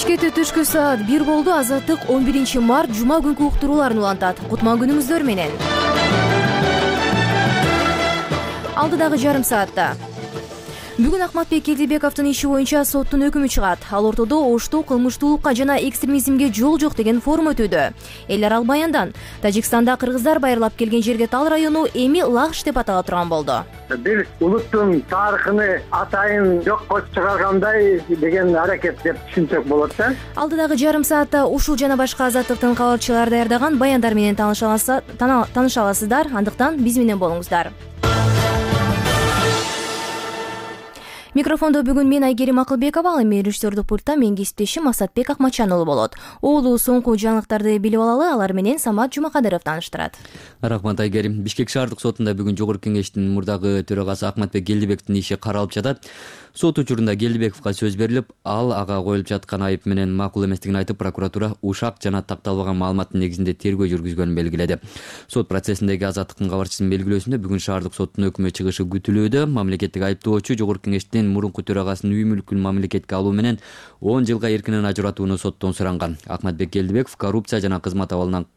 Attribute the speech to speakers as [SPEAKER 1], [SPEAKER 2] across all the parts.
[SPEAKER 1] Бишкекте түшкү саат 1 болду. Азаттык 11-март жума күнкү уктурууларын улантат. Кутман күнүңүздөр менен. Алдыдагы жарым саатта. Бүгүн Акматбек Келдибековдун иши боюнча соттун өкүмү чыгат. Ал ортодо ошто кылмыштуулукка жана экстремизмге жол жок деген форум өтүүдө. Эл аралык баяндан Тажикстанда кыргыздар байырлап келген жерге Тал району эми Лагыш деп атала турган болду.
[SPEAKER 2] Бир улуттун тарыхын атайын жокко чыгаргандай деген аракет деп түшүнсөк болот да.
[SPEAKER 1] Алдыдагы жарым саатта ушул жана башка азаттыктын кабарчылары даярдаган баяндар менен тааныша аласыздар. Андыктан биз менен болуңуздар. Микрофондо бүгүн мен Айгерим Акылбекова, ал эми режиссердук пультта менин кесиптешим Асатбек Акматчан уулу болот. Оолу соңку жаңылыктарды билип алалы, алар менен Самат Жумакадыров тааныштырат.
[SPEAKER 3] Рахмат Айгерим. Бишкек шаардык сотунда бүгүн Жогорку кеңештин мурдагы төрагасы Акматбек Келдибековдун иши каралып жатат. Сот учурунда Келдибековго сөз берилип, ал ага коюлуп жаткан айып менен макул эместигин айтып, прокуратура ушак жана такталбаган маалыматтын негизинде тергөө жүргүзгөнүн белгиледи. Сот процессиндеги азаттыктын кабарчысынын белгилөөсүндө бүгүн шаардык соттун өкмү чыгышы күтүлүүдө. Мамлекеттик айыптоочу Жогорку кеңештин мурунку төрагасынын үй мүлкүн мамлекетке алуу менен 10 жылга эркинен ажыратууну соттон суранган. Акматбек Келдибеков коррупция жана кызмат абалынан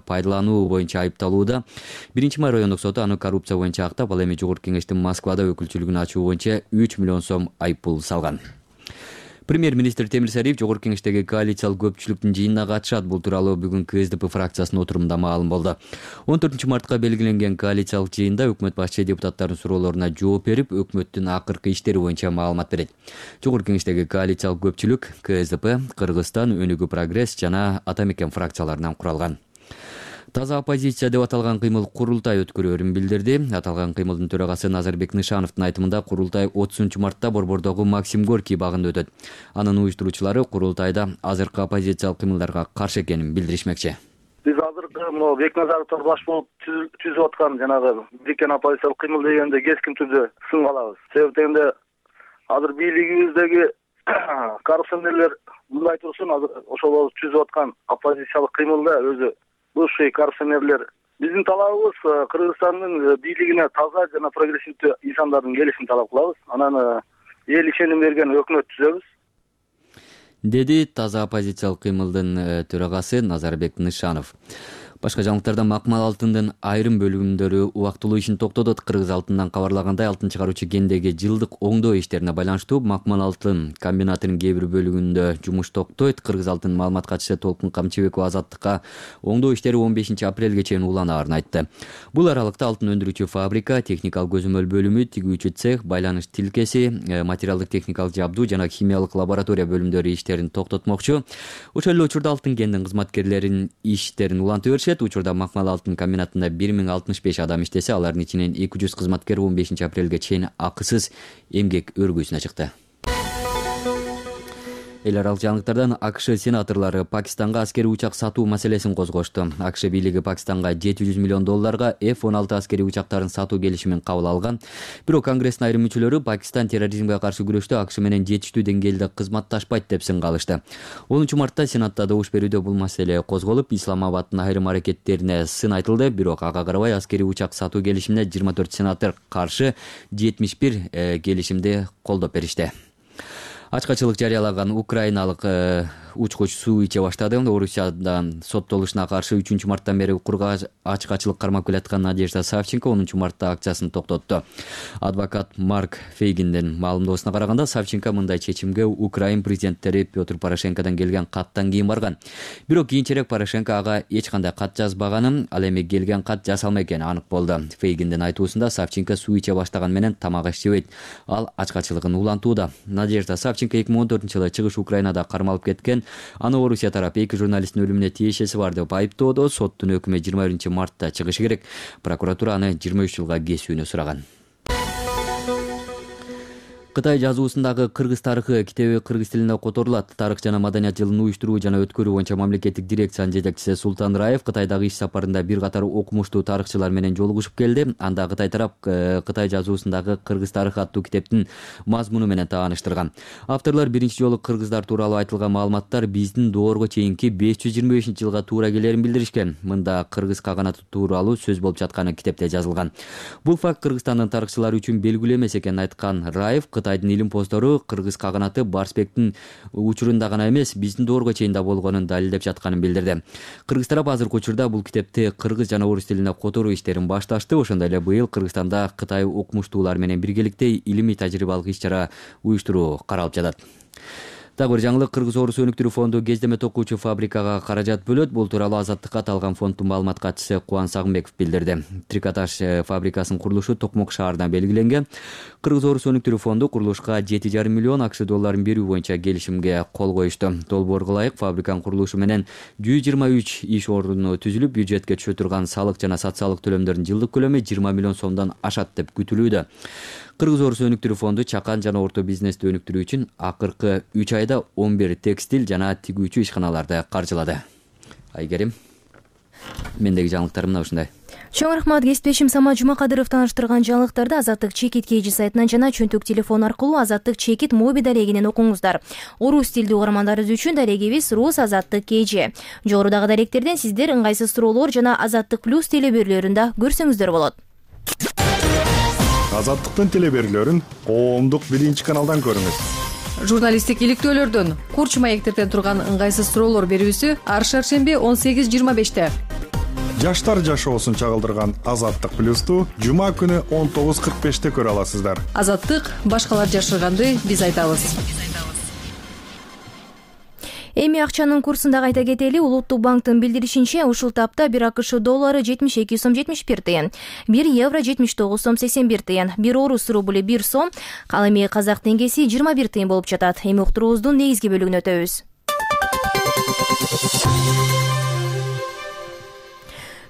[SPEAKER 3] пайдалануу боюнча айыпталууда. 1-май райондук соту аны коррупция боюнча актап, ал эми Жогорку кеңештин Москвада өкүлчүлүгүн ачуу боюнча 3 миллион сом айыппул салган. Премьер-министр Темир Сариев Жогорку кеңештеги коалициялык көпчүлүктүн жыйынына катышат. Бул тууралуу бүгүн КСДП фракциясынын отурумунда маалым болду. 14-мартка белгиленген коалициялык жыйында өкмөт башчы депутаттардын суроолоруна жооп берип, өкмөттүн акыркы иштери боюнча маалымат берет. Жогорку кеңештеги коалициялык көпчүлүк КСДП, Кыргызстан, Өнүгүү Прогресс жана Ата Мекен фракцияларынан куралган. Таза оппозиция деп аталган кыймыл курултай өткөрөөрүн билдирди. Аталган кыймылдын төрагасы Назарбек Нышановдун айтымында курултай 30-мартта Борбордогу Максим Горький багында өтөт. Анын уюштуруучулары курултайда азыркы оппозициялык кыймылдарга каршы экенин билдиришмекчи.
[SPEAKER 4] Биз азыркы Бекназаровдор баш болуп түзүп аткан жанагы бириккен оппозициялык кыймыл дегенде кескин түрдө сын алабыз. Себеби дегенде азыр бийлигибиздеги коррупционерлер мындай турсун, азыр ошол түзүп аткан оппозициялык кыймылда өзү бывший коррупционерлер. Биздин талабыбыз Кыргызстандын бийлигине таза жана прогрессивдүү инсандардын келишин талап кылабыз. Анан эл ишеним берген өкмөт түзөбүз,
[SPEAKER 3] деди таза оппозициялык кыймылдын төрагасы Назарбек Нышанов. Башка жаңылыктарда Макмал алтындын айрым бөлүгүндөрү убактылуу ишин токтотот. Кыргыз алтындан кабарлагандай, алтын чыгаруучу кендеги жылдык оңдоо иштерине байланыштуу Макмал алтын комбинатынын кээ бир бөлүгүндө жумуш токтойт. Кыргыз алтын маалымат катчысы Толкун Камчыбекова Азаттыкка оңдоо иштери 15 апрелге чейин уланаарын айтты. Бул аралыкта алтын өндүрүүчү фабрика, техникалык көзөмөл бөлүмү, тигүүчү цех, байланыш тилкеси, материалдык техникалык жабдуу жана химиялык лаборатория бөлүмдөрү иштерин токтотмокчу. Ошол эле учурда алтын кендин кызматкерлеринин иштерин улантып беришет. Учурда Макмал алтын комбинатында 1065 адам иштесе, алардын ичинен 200 кызматкер 15 апрелге чейин акысыз эмгек өргүүсүнө чыкты. Эл аралык жаңылыктардан АКШ сенаторлору Пакистанга аскерий учак сатуу маселесин козгошту. АКШ бийлиги Пакистанга $700 миллион F-16 аскерий учактарын сатуу келишимин кабыл алган. Бирок Конгресстин айрым мүчөлөрү Пакистан терроризмге каршы күрөштө АКШ менен жетиштүү деңгээлде кызматташпайт деп сын калышты. 10-мартта Сенатта добуш берүүдө бул маселе козголуп, Исламабаддын айрым аракеттерине сын айтылды. Бирок ага карабай аскерий учак сатуу келишимине 24 сенатор каршы, 71 келишимди колдоп беришти. Ачкачылык жарыялаган украиналык учкуч суу иче баштады. Орусиядан соттолушуна каршы 3-марттан бери укурга ачкачылык кармап келаткан Надежда Савченко 10-мартта акциясын токтотту. Адвокат Марк Фейгиндин маалымдоосуна караганда, Савченко мындай чечимге Украин президенттери Петр Порошенкодон келген каттан кийин барган. Бирок кийинчерээк Порошенко ага эч кандай кат жазбаганын, ал эми келген кат жасалма экени анык болду. Фейгиндин айтуусунда Савченко суу иче баштаган менен тамак аш жебейт. Ал ачкачылыгын улантууда. Надежда Савченко 2014-жылы чыгыш Украинада кармалып кеткен. Аны Орусия тарапы 2 журналисттин өлүмүнө тиешеси бар деп айыптоодо. Соттун өкүмү 21-мартта чыгышы керек. Прокуратура аны 23 жылга кесүүнү сураган. Кытай жазуусундагы кыргыз тарыхы китеби кыргыз тилинде которулат. Тарых жана маданият жылын уюштуруу жана өткөрүү боюнча мамлекеттик дирекциянын жетекчиси Султан Раев Кытайдагы иш сапарында бир катар окумуштуу тарыхчылар менен жолугушуп келди. Анда Кытай тарап Кытай жазуусундагы кыргыз тарыхы аттуу китептин мазмуну менен тааныштырган. Авторлор биринчи жолу кыргыздар тууралуу айтылган маалыматтар биздин доорго чейинки 525-жылга туура келерин билдиришкен. Мында кыргыз каганаты тууралуу сөз болуп жатканы китепте жазылган. Бул факт Кыргызстандын тарыхчылары үчүн белгилүү эмес экенин айткан Раев Кытайдын илим постору кыргыз каганаты Барсбектин учурунда гана эмес, биздин доорго чейин да болгонун далилдеп жатканын билдирди. Кыргыз тарап азыркы учурда бул китепти кыргыз жана орус тилине которуу иштерин башташты. Ошондой эле быйыл Кыргызстанда Кытай окумуштуулар менен биргеликте илимий тажрыйбалык иш-чара уюштуруу каралып жатат. Дагы бир жаңылык: Кыргыз орус өнүктүрүү фонду кездеме токуучу фабрикага каражат бөлөт. Бул тууралуу Азаттыкка аталган фонддун маалымат катчысы Кубан Сагынбеков билдирди. Трикотаж фабрикасынын курулушу Токмок шаарында белгиленген. Кыргыз орус өнүктүрүү фонду курулушка 7,5 миллион АКШ долларын берүү боюнча келишимге кол коюшту. Долбоорго ылайык фабриканын курулушу менен 123 иш орну түзүлүп, бюджетке түшө турган салык жана социалдык төлөмдөрдүн жылдык көлөмү 20 миллион сомдон ашат деп күтүлүүдө. Кыргыз орус өнүктүрүү фонду чакан жана орто бизнести өнүктүрүү үчүн акыркы 3 айда 11 текстиль жана тигүүчү ишканаларды каржылады. Айгерим, мендеги жаңылыктар мына ушундай.
[SPEAKER 1] Чоң рахмат. Кесиптешим Самат Жумакадыров тааныштырган жаңылыктарды Азаттык чекит KG сайтынан жана чөнтөк телефон аркылуу Азаттык чекит моби дарегинен окуңуздар. Орус тилдүү угармандарыбыз үчүн дарегибиз Рус Азаттык KG. Жогорудагы даректерден сиздер ыңгайсыз суроолор жана Азаттык плюс телеберүүлөрүндө көрсөңүздөр болот.
[SPEAKER 5] Азаттыктын телеберүүлөрүн коомдук 1-каналдан көрүңүз.
[SPEAKER 6] Журналисттик иликтөөлөрдөн, курч маектерден турган ыңгайсыз суроолор берүүсү ар шаршемби 18:25-те.
[SPEAKER 5] Жаштар жашоосун чагылдырган Азаттык плюсту жума күнү 19:45-те көрө аласыздар.
[SPEAKER 6] Азаттык башкалар жашырганды биз айтабыз.
[SPEAKER 1] Эми акчанын курсун да кайта кетели. Улуттук банктын билдиришинче, ушул тапта 1 АКШ доллары 72 сом 71 тыйын, 1 евро 79 сом 81 тыйын, 1 орус рубль 1 сом, ал эми казак теңгеси 21 тыйын болуп жатат. Эми уктуруубуздун негизги бөлүгүнө өтөбүз.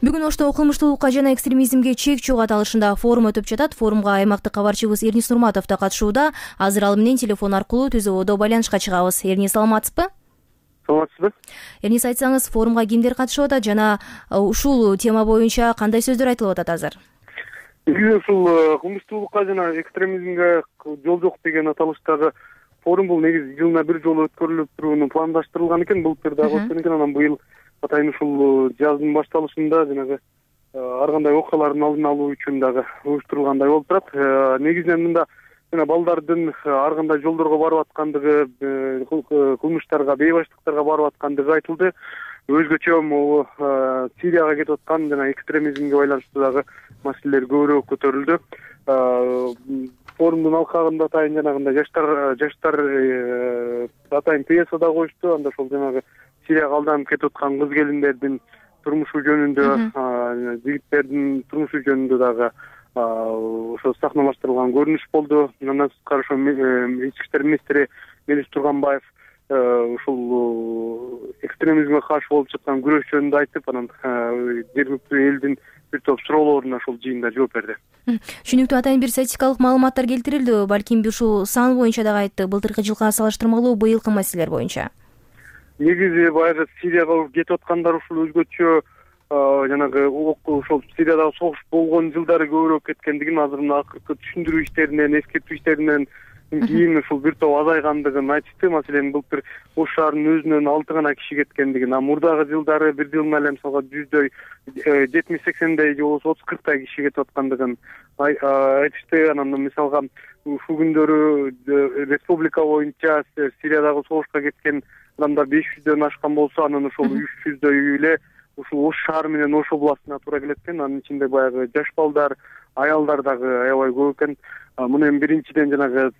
[SPEAKER 1] Бүгүн Ошто кылмыштуулукка жана экстремизмге чек чогуу аталышында форум өтүп жатат. Форумга аймактык кабарчыбыз Эрнис Нурматов да катышууда. Азыр ал менен телефон аркылуу түз абалда байланышка чыгабыз. Эрнис, саламатсызбы?
[SPEAKER 2] Саламатсызбы?
[SPEAKER 1] Эрнис, айтсаңыз, форумга кимдер катышып атат жана ушул тема боюнча кандай сөздөр айтылып атат азыр?
[SPEAKER 7] Ушул кылмыштуулукка жана экстремизмге жол жок деген аталыштагы форум бул негизи жылына бир жолу өткөрүлүп турууну пландаштырылган экен. Былтыр дагы өткөн экен, анан быйыл атайын ушул жаздын башталышында жанагы ар кандай окуялардын алдын алуу үчүн дагы уюштурулгандай болуп турат. Негизинен мында жана балдардын ар кандай жолдорго барып аткандыгы, кылмыштарга, бейбаштыктарга барып аткандыгы айтылды. Өзгөчө могу Сирияга кетип аткан жана экстремизмге байланыштуу дагы маселелер көбүрөөк көтөрүлдү. Форумдун алкагында атайын жанагындай жаштар атайын пьеса да коюшту. Анда ошол жанагы Сирияга алданып кетип аткан кыз келиндердин турмушу жөнүндө, жигиттердин турмушу жөнүндө дагы ошо сахналаштырылган көрүнүш болду. Андан тышкары ошо ички иштер министри Мелис Турганбаев ушул экстремизмге каршы болуп жаткан күрөш жөнүндө айтып, анан жергиликтүү элдин бир топ суроолоруна ошол жыйында жооп берди.
[SPEAKER 1] Түшүнүктүү. Атайын бир статистикалык маалыматтар келтирилди. Балким ушул сан боюнча дагы айтты. Былтыркы жылга салыштырмалуу быйылкы маселелер боюнча.
[SPEAKER 7] Негизи баягы Сирияга кетип аткандар ушул өзгөчө жанагы ошол Сириядагы согуш болгон жылдары көбүрөөк кеткендигин, азыр мына акыркы түшүндүрүү иштеринен, эскертүү иштеринен кийин ушул бир топ азайгандыгын айтышты. Маселен, былтыр Ош шаарынын өзүнөн 6 гана киши кеткендигин, мурдагы жылдары бир жыл эле мисалга 70-80 же болбосо 30-40 киши кетип аткандыгын айтышты. Анан мисалга ушул күндөрү республика боюнча Сириядагы согушка кеткен адамдар 500дөн ашкан болсо, анан ошол 300дөйү эле ушул Ош шаары менен Ош областына туура келет экен. Анын ичинде баягы жаш балдар, аялдар дагы аябай көп экен. Муну эми биринчиден жанагы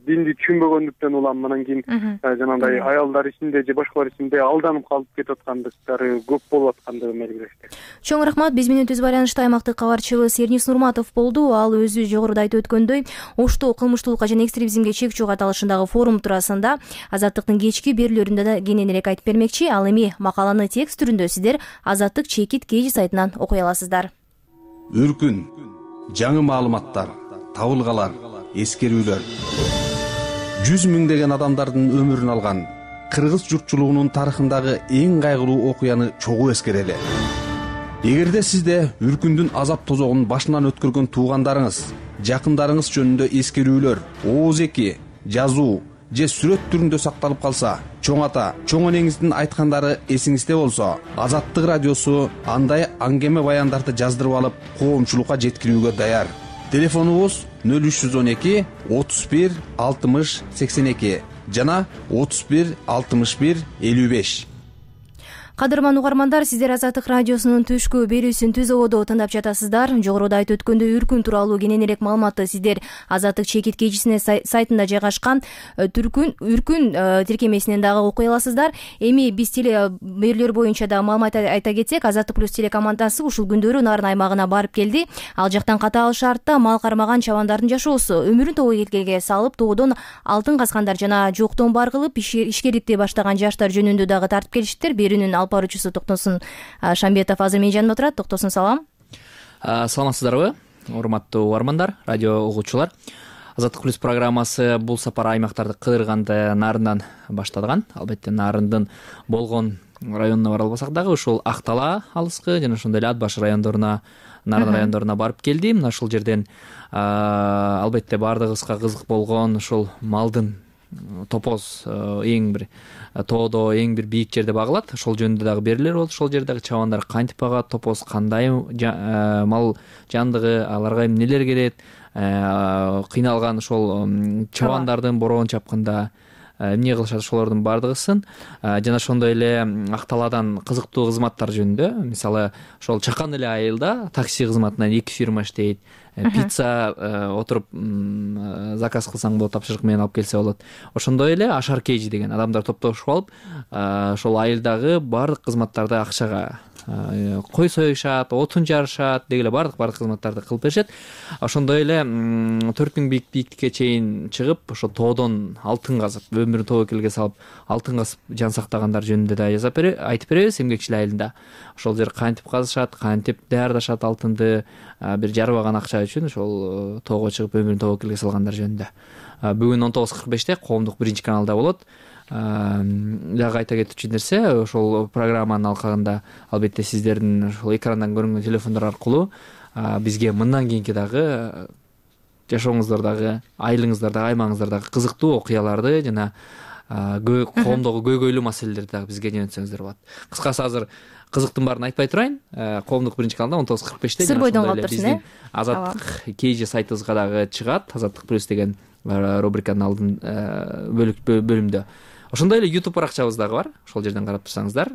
[SPEAKER 7] динди түшүнбөгөндүктөн улам, анан кийин жанагындай аялдар ичинде же башкалар ичинде алданып калып кетип аткандыктары көп болуп аткандыгын белгилешти.
[SPEAKER 1] Чоң рахмат. Биз менен түз байланышта аймактык кабарчыбыз Эрнис Нурматов болду. Ал өзү жогоруда айтып өткөндөй, Ошто кылмыштуулукка жана экстремизмге чек чогуу аталышындагы форум туурасында Азаттыктын кечки берүүлөрүндө да кененирээк айтып бермекчи. Ал эми макаланы текст түрүндө сиздер Азаттык чекит KG сайтынан окуй аласыздар.
[SPEAKER 8] Үркүн, жаңы маалыматтар, табылгалар, эскерүүлөр. 100 миңдеген адамдардын өмүрүн алган кыргыз журтчулугунун тарыхындагы эң кайгылуу окуяны чогуу эскерели. Эгерде сизде үркүндүн азап тозогун башынан өткөргөн туугандарыңыз, жакындарыңыз жөнүндө эскерүүлөр, ооз-эки, жазуу же сүрөт түрүндө сакталып калса, чоң ата, чоң энеңиздин айткандары эсиңизде болсо, Азаттык радиосу андай аңгеме баяндарды жаздырып алып, коомчулукка жеткирүүгө даяр. Телефонубуз 0312 31 60 82 жана 31 61 55.
[SPEAKER 1] Кадырман угармандар, сиздер Азаттык радиосунун түшкү берүүсүн Түз ободо тыңдап жатасыздар. Жогоруда айтып өткөндөй үркүн тууралуу кененирээк маалыматты сиздер Азаттык чекиткечисине сайтында жайгашкан үркүн тиркемесинен дагы окуй аласыздар. Эми биз телеберлер боюнча да маалымат айта кетсек, Азаттык плюс телекомандасы ушул күндөрү Нарын аймагына барып келди. Ал жактан катаал шартта мал кармаган чабандардын жашоосу, өмүрүн того келгелге салып, тоодон алтын казгандар жана жоктон бар кылып ишкерликти баштаган жаштар жөнүндө дагы тартып келиштир. Берүүнүн алып баруучусу Токтосун Шамбетов азыр менин жанымда турат. Токтосун, салам.
[SPEAKER 9] Саламатсыздарбы, урматтуу угармандар, радио угуучулар. Азаттык плюс программасы бул сапар аймактарды кыдырганды Нарындан башталган. Албетте Нарындын болгон районуна бара албасак дагы ушул Актала алыскы жана ошондой эле Ат баш райондоруна, Нарын райондоруна барып келди. Мына ушул жерден албетте баардыгыбызга кызык болгон ушул малдын топоз эң бир тоодо эң бир бийик жерде багылат. Ошол жөнүндө дагы берилер болот. Ошол жердеги чабандар кантип багат, топоз кандай мал жандыгы, аларга эмнелер керет, кыйналган ошол чабандардын бороон чапканда эмне кылышат, ошолордун баардыгысын жана ошондой эле Акталадан кызыктуу кызматтар жөнүндө, мисалы ошол чакан эле айылда такси кызматынан 2 фирма иштейт. Пицца отуруп заказ кылсаң болот, тапшырык менен алып келсе болот. Ошондой эле Ашар Кейжи деген адамдар топтошуп алып, ошол айылдагы баардык кызматтарды акчага кой союшат, отун жарышат деги эле баардык кызматтарды кылып беришет. Ошондой эле 4000 бийиктикке чейин чыгып, ошо тоодон алтын казып, өмүрүн тобокелге салып, алтын казып жан сактагандар жөнүндө да айтып беребиз Эмгекчил айылында. Ошол жер кантип казышат, кантип даярдашат алтынды, бир жарбаган акча үчүн ошол тоого чыгып өмүрүн тобокелге салгандар жөнүндө. Бүгүн 19:45 коомдук 1-каналда болот. Дагы айта кетчү нерсе, ошол программанын алкагында албетте сиздердин ошол экрандан көрүнгөн телефондор аркылуу бизге мындан кийинки дагы жашооңуздардагы, айылыңыздардагы, аймагыңыздардагы кызыктуу окуяларды жана коомдогу көйгөйлүү маселелерди дагы бизге жөнөтсөңүздөр болот. Кыскасы азыр кызыктын баарын айтпай турайын. Коомдук 1-каналда 19:45
[SPEAKER 1] сыр бойдон калып турсун,
[SPEAKER 9] биздин Азаттык Кейжи сайтыбызга дагы чыгат. Азаттык плюс деген рубриканын алдын бөлүмдө. Ошондой эле YouTube баракчабыз дагы бар. Ошол жерден карап турсаңыздар,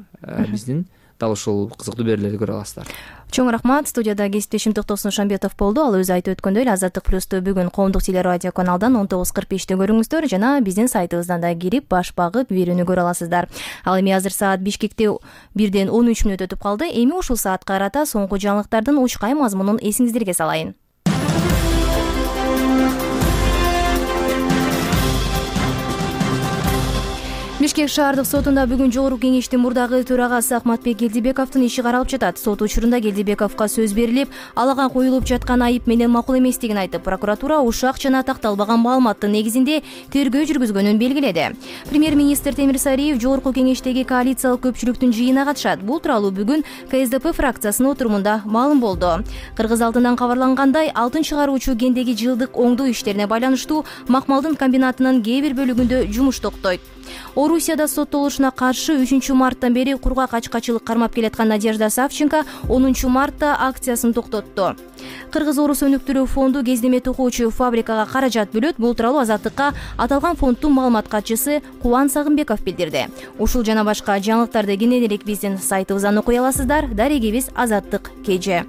[SPEAKER 9] биздин дал ушул кызыктуу берүүлөрдү көрө аласыздар.
[SPEAKER 1] Чоң рахмат. Студияда кесиптешим Токтосун Шамбетов болду. Ал өзү айтып өткөндөй эле Азаттык плюсту бүгүн коомдук телерадио каналдан 19:45 көрүңүздөр жана биздин сайтыбыздан да кирип баш багып берүүнү көрө аласыздар. Ал эми азыр саат Бишкекте 1:13 өтүп калды. Эми ушул саатка карата соңку жаңылыктардын учкай мазмунун эсиңиздерге салайын. Бишкек шаардык сотунда бүгүн жогорку кеңештин мурдагы төрагасы Акматбек Келдибековдун иши каралып жатат. Сот учурунда Келдибековго сөз берилип, алага коюлуп жаткан айып менен макул эместигин айтып, прокуратура ушак жана такталбаган маалыматтын негизинде тергөө жүргүзгөнүн белгиледи. Премьер-министр Темир Сариев жогорку кеңештеги коалициялык көпчүлүктүн жыйынына катышат. Бул тууралуу бүгүн КСДП фракциясынын отурумунда маалым болду. Кыргыз алдынан кабарлангандай, алтын чыгаруучу кендеги жылдык оңдоо иштерине байланыштуу Макмалдын комбинатынын кээ бир бөлүгүндө жумуш токтойт. Орусияда соттолушуна каршы 3 марттан бери кургак ачкачылык кармап келаткан Надежда Савченко 10 мартта акциясын токтотту. Кыргыз-Орус өнүктүрүү фонду кездеме токуучу фабрикага каражат бөлөт. Бул тууралуу Азаттыкка аталган фонддун маалымат катчысы Кубан Сагынбеков билдирди. Ушул жана башка жаңылыктарды кененирээк биздин сайтыбыздан окуй аласыздар. Дарегибиз Азаттык КЖ.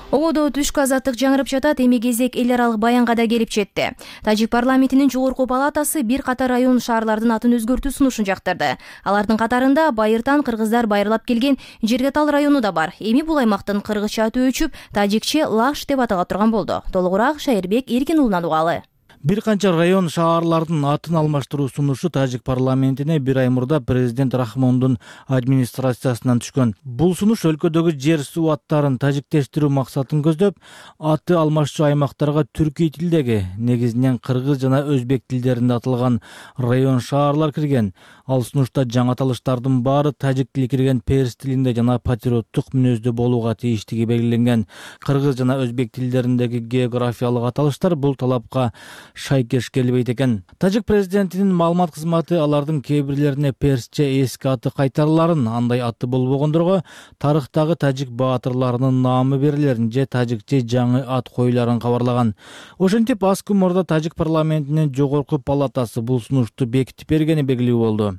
[SPEAKER 1] Ободо түшкү азаттык жаңырып жатат. Эми кезек эл аралык баянга да келип жетти. Тажик парламентинин жогорку палатасы бир катар район шаарлардын атын өзгөртүү сунушун жактырды. Алардын катарында Байыртан кыргыздар байырлап келген Жергетал району да бар. Эми бул аймактын кыргызча аты өчүп, тажикче Лаш деп атала турган болду. Толугураак Шайырбек Эркин уулунан угалы.
[SPEAKER 10] Бир канча район шаарлардын атын алмаштыруу сунушу Тажик парламентине бир ай мурда президент Рахмондун администрациясынан түшкөн. Бул сунуш өлкөдөгү жер суу аттарын тажиктештирүү максатын көздөп, аты алмашчу аймактарга түркий тилдеги, негизинен кыргыз жана өзбек тилдеринде аталган район шаарлар кирген. Ал сунушта жаңы аталыштардын баары тажик тили кирген перс тилинде жана патриоттук мүнөздө болууга тийиштиги белгиленген. Кыргыз жана өзбек тилдериндеги географиялык аталыштар бул талапка шайкеш келбейт экен. Тажик президентинин маалымат кызматы алардын кээ бирлерине персче эски аты кайтарыларын, андай аты болбогондорго тарыхтагы тажик баатырларынын наамы берилерин же тажикче жаңы ат коюларын кабарлаган. Ошентип аз күн мурда тажик парламентинин жогорку палатасы бул сунушту бекитип бергени белгилүү болду.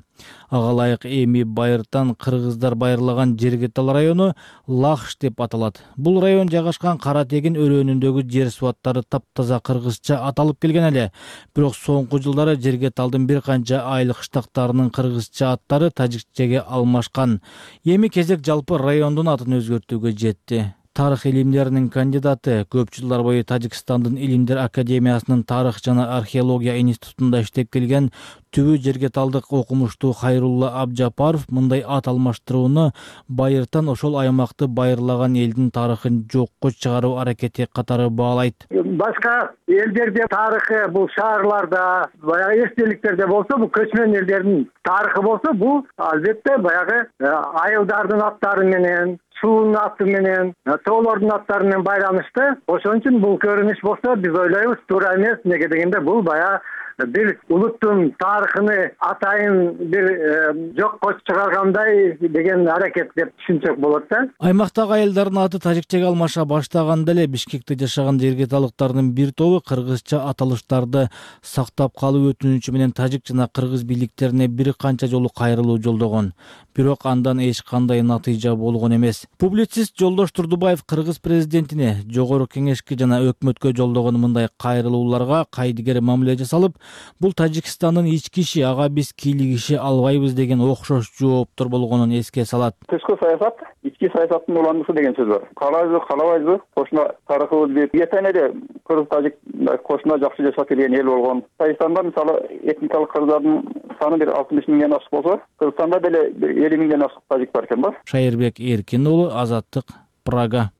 [SPEAKER 10] Ага ылайык эми Байыртан кыргыздар байырлаган Жергетал району Лахш деп аталат. Бул район жайгашкан Кара Тегин өрөөнүндөгү жер суаттары таптаза кыргызча аталып келген эле. Бирок соңку жылдары Жергеталдын бир канча айыл кыштактарынын кыргызча аттары тажикчеге алмашкан. Эми кезек жалпы райондун атын өзгөртүүгө жетти. Тарых илимдеринин кандидаты, көп жылдар бою Тажикстандын Илимдер академиясынын тарых жана археология институтунда иштеп келген түбү Жергеталдык окумуштуу Хайрулла Абжапаров мындай ат алмаштырууну Байыртан ошол аймакты байырлаган элдин тарыхын жокко чыгаруу аракети катары баалайт.
[SPEAKER 2] Башка элдерде тарыхы, бул шаарларда, баягы эстеликтерде болсо, бул көчмөн элдердин тарыхы болсо, бул албетте баягы айылдардын аттары менен, суунун аты менен, тоолордун аттары менен байланыштуу. Ошон үчүн бул көрүнүш болсо, биз ойлойбуз туура эмес. Неге дегенде бул баягы бир улуттун тарыхыны атайын бир жокко чыгаргандай деген аракет деп түшүнсөк болот да.
[SPEAKER 10] Аймактагы айылдардын аты тажикчеге алмаша баштаганда эле Бишкекте жашаган жергеталыктардын бир тобу кыргызча аталыштарды сактап калуу өтүнүчү менен тажик жана кыргыз бийликтерине бир канча жолу кайрылуу жолдогон. Бирок андан эч кандай натыйжа болгон эмес. Публицист Жолдош Турдубаев кыргыз президентине жогору кеңешке жана өкмөткө жолдогон мындай кайрылууларга кайдыгер мамиле жасалып, бул Тажикстандын ички иши, ага биз кийлигише албайбыз деген окшош жооптор болгонун эске салат.
[SPEAKER 11] Тышкы саясат ички саясаттын уландысы деген сөз бар. Каалайбызбы, каалабайбызбы, кошуна тарыхыбыз бип, эртең эле кыргыз тажик кошуна жакшы жашап келген эл болгон. Тажикстанда мисалы этникалык кыргыздардын саны бир 60 миңден ашык болсо, Кыргызстанда деле 50 миңден ашык тажик бар экен да.
[SPEAKER 10] Шайырбек Эркин уулу, Азаттык, Прага.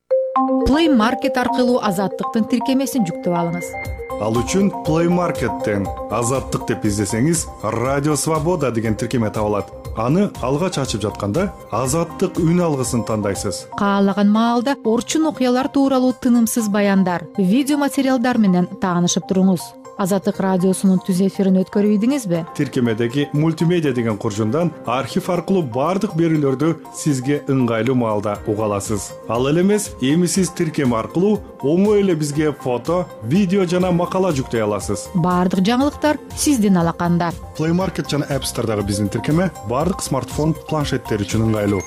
[SPEAKER 12] Play Market аркылуу Азаттыктын тиркемесин жүктөп алыңыз.
[SPEAKER 5] Ал үчүн Play Market'тен Азаттык деп издесеңиз, Радио Свобода деген тиркеме табылат. Аны алгач ачып жатканда Азаттык үн алгысын тандайсыз.
[SPEAKER 12] Каалаган маалда орчун окуялар тууралуу тынымсыз баяндар, видео материалдар менен таанышып туруңуз. Азаттык радиосунун түз эфирин өткөрүп ийдиңизби?
[SPEAKER 5] Тиркемедеги мультимедиа деген куржундан архив аркылуу бардык берүүлөрдү сизге ыңгайлуу маалда уга аласыз. Ал эле эмес, эми сиз тиркеме аркылуу оңой эле бизге фото, видео жана макала жүктөй аласыз.
[SPEAKER 12] Бардык жаңылыктар сиздин алаканда.
[SPEAKER 5] Play Market жана App Store'дагы биздин тиркеме бардык смартфон, планшеттер үчүн ыңгайлуу.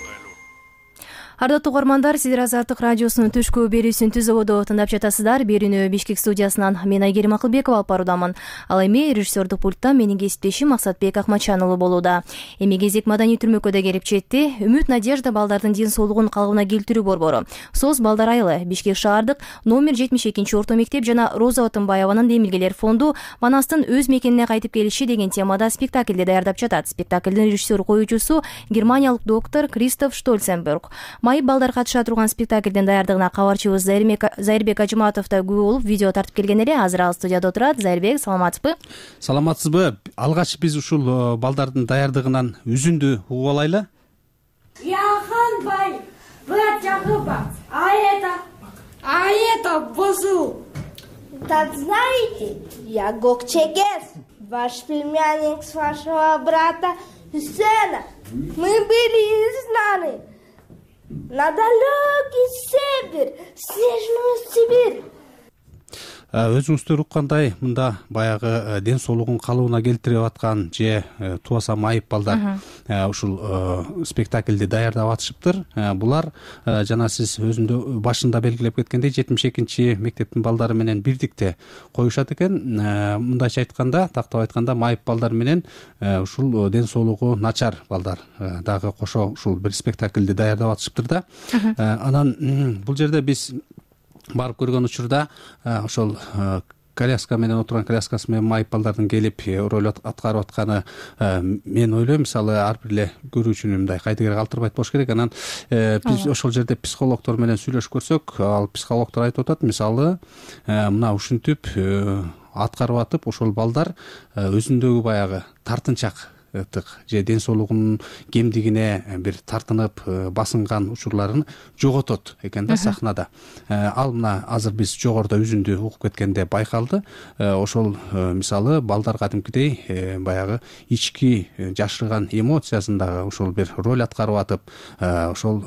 [SPEAKER 1] Ардаттуу угармандар, сиздер Азаттык радиосунун түшкү берүүсүн Түз ободо тыңдап жатасыздар. Берүүнү Бишкек студиясынан мен Айгерим Акылбекова алып баруудамын. Ал эми режиссердук пульттан менин кесиптешим Максатбек Акматчан уулу болууда. Эми кезек маданий түрмөккө келип жетти. Үмүт Надежда балдардын ден соолугун калыбына келтирүү борбору, СОС балдар айылы, Бишкек шаардык номер 72 орто мектеп жана Роза Отунбаеванын Демилгелер фонду Манастын өз мекенине кайтып келиши деген темада спектаклди даярдап жатат. Спектаклдин режиссер коюучусу германиялык доктор Кристоф Штольценберг. Майып балдар катыша турган спектаклдин даярдыгына кабарчыбыз Зайырбек Ажыматов да күбө болуп видео тартып келген эле. Азыр ал студияда отурат. Зайырбек, саламатсызбы?
[SPEAKER 8] Саламатсызбы? Алгач биз ушул балдардын даярдыгынан үзүндү угуп алайлы.
[SPEAKER 13] Яханбай, брат Якубов, а это Бозу.
[SPEAKER 14] Так знаете, я Гокчегес, ваш племянник с вашего брата Сена. Мы были изгнаны на далекий север, снежную Сибирь.
[SPEAKER 8] Өзүңүздөр уккандай, мында баягы ден соолугун калыбына келтирип аткан же тубаса майып балдар ушул спектаклди даярдап атышыптыр. Булар жана сиз өзүндө башында белгилеп кеткендей 72 мектептин балдары менен бирдикте коюшат экен. Мындайча айтканда, тактап айтканда майып балдар менен ушул ден соолугу начар балдар дагы кошо ушул бир спектаклди даярдап атышыптыр да. Анан бул жерде биз барып көргөн учурда ошол коляска менен отурган коляскасы менен майып балдардын келип роль аткарып атканы мен ойлойм, мисалы ар бир эле көрүүчүнү мындай кайдыгер калтырбайт болуш керек. Анан биз ошол жерде психологдор менен сүйлөшүп көрсөк, ал психологдор айтып атат, мисалы мына ушинтип аткарып атып ошол балдар өзүндөгү баягы тартынчак же ден соолугунун кемдигине бир тартынып басынган учурларын жоготот экен да сахнада. Ал мына азыр биз жогоруда үзүндү угуп кеткенде байкалды. Ошол мисалы балдар кадимкидей баягы ички жашырган эмоциясын дагы ошол бир роль аткарып атып, ошол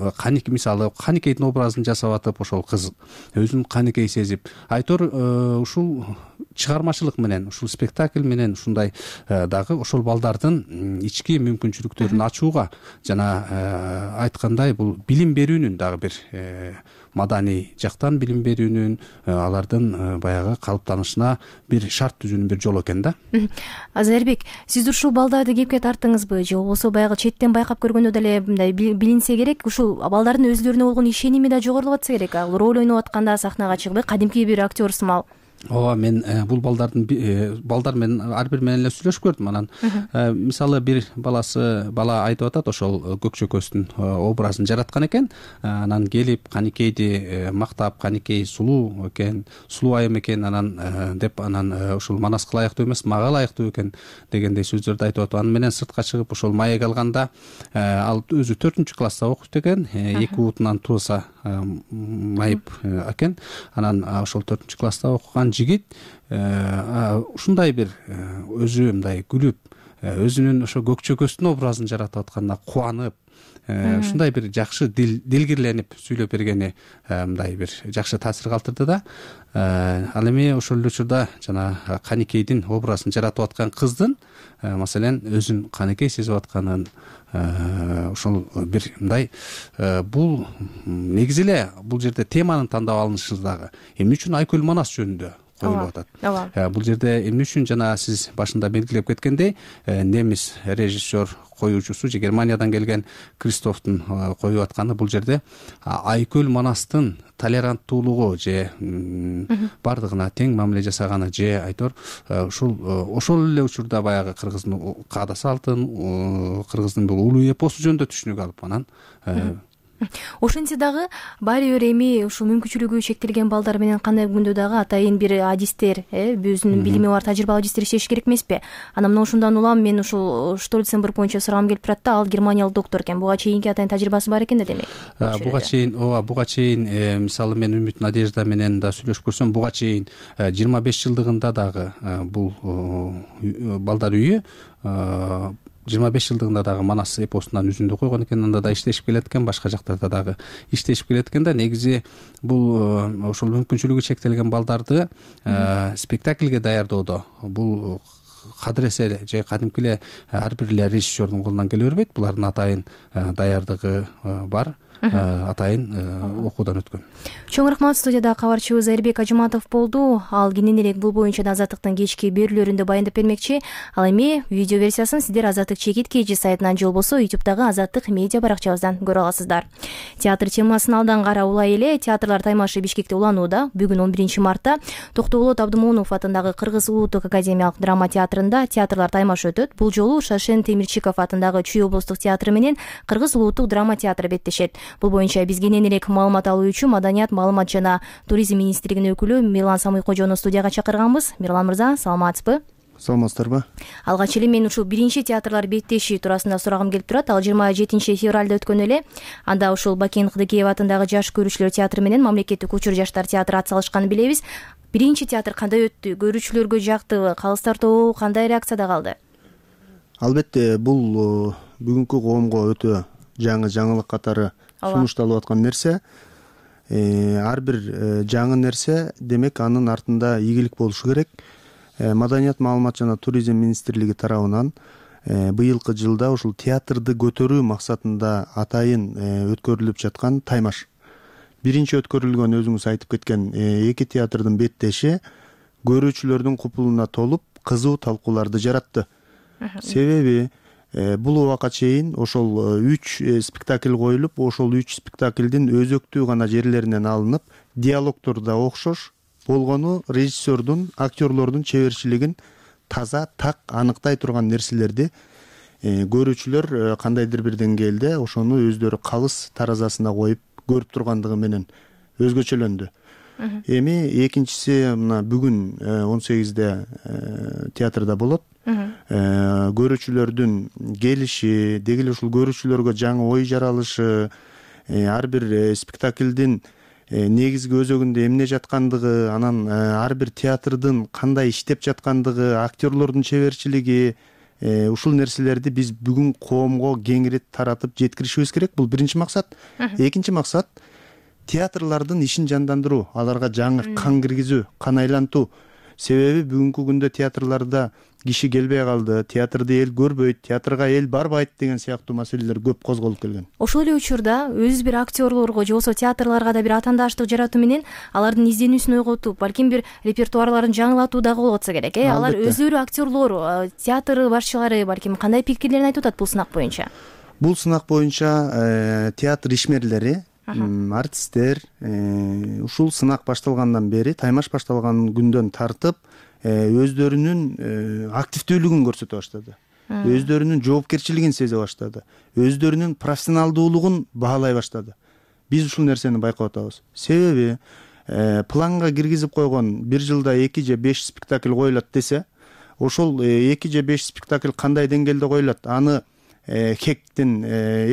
[SPEAKER 8] мисалы Каникейдин образын жасап атып, ошол кыз өзүн Каникей сезип, айтор ушул чыгармачылык менен, ушул спектакль менен ушундай дагы ошол балдардын ички мүмкүнчүлүктөрүн ачууга жана айткандай бул билим берүүнүн дагы бир маданий жактан билим берүүнүн, алардын баягы калыптанышына бир шарт түзүүнүн бир жолу экен да.
[SPEAKER 1] Азарбек, сиз ушул балдарды кепке тартыңызбы же болбосо баягы четтен байкап көргөндө деле мындай билинсе керек, ушул балдардын өзлөрүнө болгон ишеними да жогорулап атса керек. Ал роль ойноп атканда сахнага чыгып кадимки бир актер сымал.
[SPEAKER 8] Ооба, мен бул балдар менен ар бир менен эле сүйлөшүп көрдүм. Анан мисалы бир бала айтып атат, ошол Көкчөкөстүн образын жараткан экен. Анан келип Каникейди мактап, Каникей сулуу экен, сулуу айым экен, анан деп анан ушул Манаска ылайыктуу эмес, мага ылайыктуу экен дегендей сөздөрдү айтып атып, аны менен сыртка чыгып ошол маек алганда ал өзү 4-класста окуйт экен, 2 утунан тууса майып экен. Анан ошол 4-класста окуган жигит ушундай бир өзү мындай күлүп, өзүнүн ошо Көкчөкөстүн образын жаратып атканына кубанып, ушундай бир жакшы дилгирленип сүйлөп бергени мындай бир жакшы таасир калтырды да. Ал эми ошол эле учурда жана Каникейдин образын жаратып аткан кыздын маселен өзүн Каникей сезип атканын ошол бир мындай бул негизи эле бул жерде теманын тандап алынышы дагы эмне үчүн Айкөл Манас жөнүндө коюлуп атат. Бул жерде эмне үчүн жана сиз башында белгилеп кеткендей немис режиссер коюучусу же Германиядан келген Кристофтун коюп атканы бул жерде Айкөл Манастын толеранттуулугу же бардыгына тең мамиле жасаганы же айтор ошол эле учурда баягы кыргыздын каада салтын, кыргыздын бул улуу эпосу жөнүндө түшүнүк алып анан
[SPEAKER 1] ошентсе дагы баары бир эми ушул мүмкүнчүлүгү чектелген балдар менен кандай күндө дагы атайын бир адистер, өзүнүн билими бар тажрыйбалуу адистер иштеши керек эмеспи? Анан мына ушундан улам мен ушул Штольценберг боюнча сурагым келип турат да, ал германиялык доктор экен. Буга чейинки атайын тажрыйбасы бар экен да демек.
[SPEAKER 8] Буга чейин мисалы мен Үмүт Надежда менен да сүйлөшүп көрсөм, буга чейин 25 жылдыгында дагы бул балдар үйү 25 жылдыгында дагы Манас эпосунан үзүндү койгон экен, анда да иштешип келет экен, башка жактарда дагы иштешип келет экен да. Негизи бул ошол мүмкүнчүлүгү чектелген балдарды спектакльге даярдоодо бул кадыресе же кадимки эле ар бир эле режиссердун колунан келе бербейт. Булардын атайын даярдыгы бар, атайын окуудан өткөн.
[SPEAKER 1] Чоң рахмат. Студияда кабарчыбыз Айрбек Ажыматов болду. Ал кененирээк бул боюнча да Азаттыктын кечки берүүлөрүндө баяндап бермекчи. Ал эми видео версиясын сиздер Азаттык чекит KG сайтынан же болбосо YouTube'дагы Азаттык медиа баракчабыздан көрө аласыздар. Театр темасын алдан кара улай эле театрлар таймашы Бишкекте уланууда. Бүгүн 11 мартта Токтоболот Абдымоунов атындагы Кыргыз Улуттук академиялык драма театрында театрлар таймашы өтөт. Бул жолу Шашен Темирчиков атындагы Чүй облустук театры менен Кыргыз Улуттук драма театры беттешет. Бул боюнча биз кененирээк маалымат алуу үчүн Маданият, маалымат жана туризм министрлигинин өкүлү Мирлан Самыйкожону студияга чакырганбыз. Мирлан мырза, саламатсызбы?
[SPEAKER 15] Саламатсыздарбы?
[SPEAKER 1] Алгач эле мен ушул биринчи театрлар беттеши туурасында сурагым келип турат. Ал 27 февралда өткөн эле. Анда ушул Бакен Кыдыкеев атындагы Жаш көрүүчүлөр театры менен Мамлекеттик учур жаштар театры ат салышканын билебиз. Биринчи театр кандай өттү? Көрүүчүлөргө жактыбы? Калыстар тобу кандай реакцияда калды?
[SPEAKER 15] Албетте, бул бүгүнкү коомго өтө жаңылык катары сунушталып аткан нерсе. Ар бир жаңы нерсе, демек анын артында ийгилик болушу керек. Маданият, маалымат жана туризм министрлиги тарабынан быйылкы жылда ушул театрды көтөрүү максатында атайын өткөрүлүп жаткан таймаш. Биринчи өткөрүлгөн өзүңүз айтып кеткен 2 театрдын беттеши көрүүчүлөрдүн купулуна толуп, кызуу талкууларды жаратты. Себеби бул убакка чейин ошол 3 спектакль коюлуп, ошол 3 спектаклдин өзөктүү гана жерлеринен алынып, диалогдор да окшош болгону режиссердун, актерлордун чеберчилигин таза, так аныктай турган нерселерди көрүүчүлөр кандайдыр бир деңгээлде ошону өздөрү калыс таразасына коюп көрүп тургандыгы менен өзгөчөлөндү. Эми экинчиси мына бүгүн 18-де театрда болот. Көрүүчүлөрдүн келиши, деги эле ушул көрүүчүлөргө жаңы ой жаралышы, ар бир спектаклдин негизги өзөгүндө эмне жаткандыгы, анан ар бир театрдын кандай иштеп жаткандыгы, актерлордун чеберчилиги, ушул нерселерди биз бүгүн коомго кеңири таратып жеткиришибиз керек. Бул биринчи максат. Экинчи максат театрлардын ишин жандандыруу, аларга жаңы кан киргизүү, кан айлантуу. Себеби бүгүнкү күндө театрларда киши келбей калды, театрды эл көрбөйт, театрга эл барбайт деген сыяктуу маселелер көп козголуп келген.
[SPEAKER 1] Ошол эле учурда өз бир актерлорго же болбосо театрларга да бир атаандаштык жаратуу менен алардын изденүүсүн ойготуп, балким бир репертуарларын жаңылатуу дагы болуп атса керек. Алар өздөрү актерлор, театр башчылары балким кандай пикирлерин айтып атат бул сынак боюнча?
[SPEAKER 15] Бул сынак боюнча театр ишмерлери, артисттер ушул сынак башталгандан бери, таймаш башталган күндөн тартып өздөрүнүн активдүүлүгүн көрсөтө баштады. Өздөрүнүн жоопкерчилигин сезе баштады. Өздөрүнүн профессионалдуулугун баалай баштады. Биз ушул нерсени байкап атабыз. Себеби планга киргизип койгон бир жылда 2 же 5 спектакль коюлат десе, ошол 2 же 5 спектакль кандай деңгээлде коюлат? Аны ХЭКтин,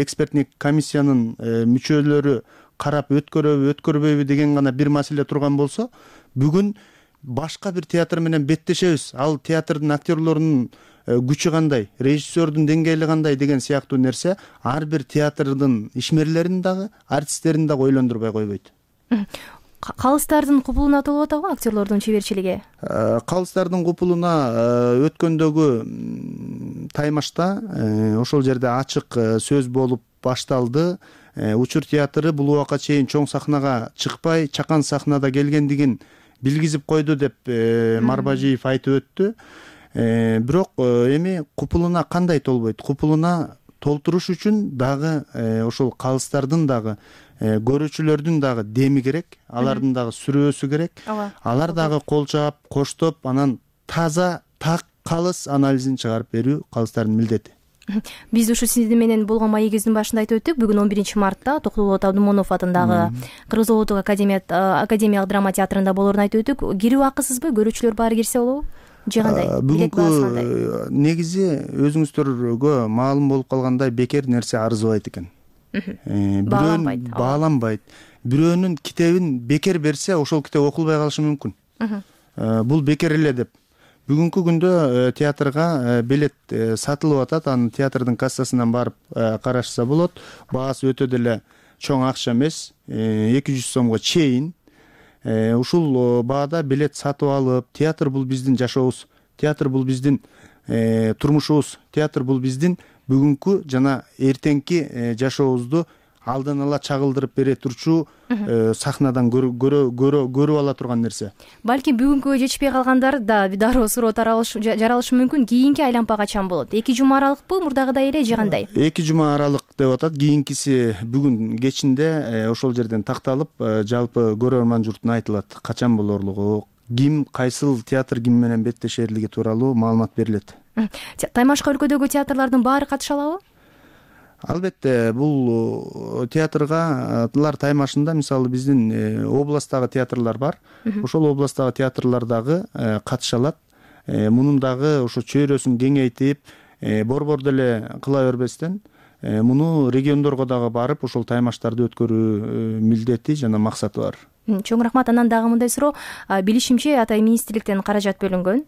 [SPEAKER 15] экспертник комиссиянын мүчөлөрү карап өткөрөбү, өткөрбөйбү деген гана бир маселе турган болсо, бүгүн башка бир театр менен беттешебиз. Ал театрдын актерлорунун күчү кандай, режиссердун деңгээли кандай деген сыяктуу нерсе ар бир театрдын ишмерлерин дагы, артисттерин дагы ойлондурбай койбойт.
[SPEAKER 1] Калыстардын купулуна толуп атабы актерлордун чеберчилиги?
[SPEAKER 15] Калыстардын купулуна өткөндөгү таймашта ошол жерде ачык сөз болуп башталды. Учур театры бул убакка чейин чоң сахнага чыкпай, чакан сахнада келгендигин билгизип койду деп Марбажиев айтып өттү. Бирок эми купулуна кандай толбойт? Купулуна толтуруш үчүн дагы ошол калыстардын дагы, көрүүчүлөрдүн дагы деми керек, алардын дагы сүрөөсү керек. Алар дагы кол чаап, коштоп, анан таза, так калыс анализин чыгарып берүү калыстардын милдети.
[SPEAKER 1] Биз ушу сиздин менен болгон маегибиздин башында айтып өттүк. Бүгүн 11 мартта Токтолболот Абдымонов атындагы Кыргыз улуттук академиялык драма театрында болоорун айтып өттүк. Кирүү акысызбы? Көрүүчүлөр баары кирсе болобу? Же кандай?
[SPEAKER 15] Бүгүнкү негизи өзүңүздөргө маалым болуп калгандай бекер нерсе арызбайт экен. Бааланбайт. Бирөөнүн китебин бекер берсе, ошол китеп окулбай калышы мүмкүн. Бул бекер эле деп. Бүгүнкү күндө театрга билет сатылып атат. Аны театрдын кассасынан барып карашса болот. Баасы өтө деле чоң акча эмес, 200 сомго чейин. Ушул баада билет сатып алып, театр бул биздин жашообуз, театр бул биздин турмушубуз, театр бул биздин бүгүнкү жана эртеңки жашообузду алдан ала чагылдырып бере турчу сахнадан көрүп ала турган нерсе.
[SPEAKER 1] Балки бүгүнкүгө жетишпей калгандар да дароо суроо жаралышы мүмкүн. Кийинки айланпа качан болот? 2 жума аралыкпы, мурдагыдай эле же кандай?
[SPEAKER 15] 2 жума аралык деп атат. Кийинкиси бүгүн кечинде ошол жерден такталып, жалпы көрөрман журтуна айтылат. Качан болорлугу, ким, кайсыл театр ким менен беттешерлиги тууралуу маалымат берилет.
[SPEAKER 1] Таймашка өлкөдөгү театрлардын баары катыша алабы?
[SPEAKER 15] Албетте, бул театргалар таймашында мисалы биздин областтагы театрлар бар. Ошол областтагы театрлар дагы катыша алат. Мунун дагы ошо чөйрөсүн кеңейтип, борбор деле кыла бербестен, муну региондорго дагы барып, ошол таймаштарды өткөрүү милдети жана максаты бар.
[SPEAKER 1] Чоң рахмат. Анан дагы мындай суроо, билишимче атай министрликтен каражат бөлүнгөн.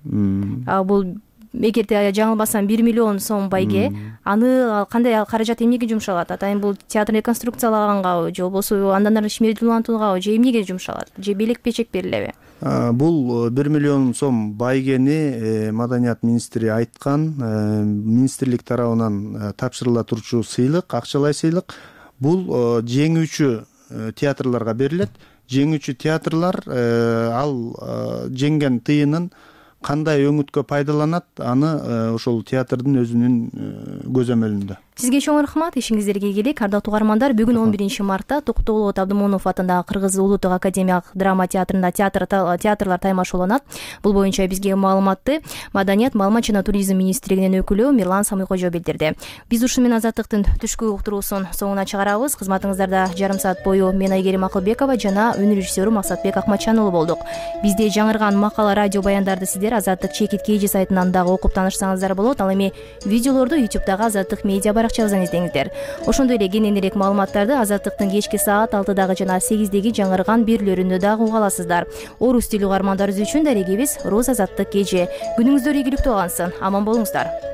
[SPEAKER 1] Бул эгерде жаңылбасам 1 миллион сом байге, аны кандай каражат эмнеге жумшалат? Атайын бул театрды реконструкциялагангабы, же болбосо андан ары ишмердүүлантуугабы, же эмнеге жумшалат? Же белек печек берилеби?
[SPEAKER 15] Бул 1 миллион сом байгени Маданият министри айткан, министрлик тарабынан тапшырыла турчу сыйлык, акчалай сыйлык. Бул жеңүүчү театрларга берилет. Жеңүүчү театрлар ал жеңген тыйынын кандай өңүткө пайдаланат, аны ошол театрдын өзүнүн көзөмөлүндө.
[SPEAKER 1] Сизге чоң рахмат, ишиңиздерге ийгилик. Ардактуу угармандар, бүгүн 11 мартта Токтогулбек Абдымомунов атындагы Кыргыз Улуттук академиялык драма театрында театрлар таймашууланат. Бул боюнча бизге маалыматты Маданият, маалымат жана туризм министрлигинин өкүлү Мирлан Самыйкожо билдирди. Биз ушу менен Азаттыктын түшкү уктуруусун соңуна чыгарабыз. Кызматыңыздарда жарым саат бою мен Айгерим Акылбекова жана өнөр режиссеру Максатбек Акматжан уулу болдук. Бизде жаңырган макала, радио баяндарды сиздер Азаттык чекит KG сайтынан дагы окуп таанышсаңыздар болот. Ал эми видеолорду YouTube'дагы Азаттык медиа баракчабыздан издеңиздер. Ошондой эле кененирээк маалыматтарды Азаттыктын кечки саат 6-дагы жана 8-деги жаңырган бирлөрүндө дагы уга аласыздар. Орус тили угармандарыбыз үчүн дарегибиз Роз Азаттык KG. Күнүңүздөр ийгиликтүү алгансın. Аман болуңуздар.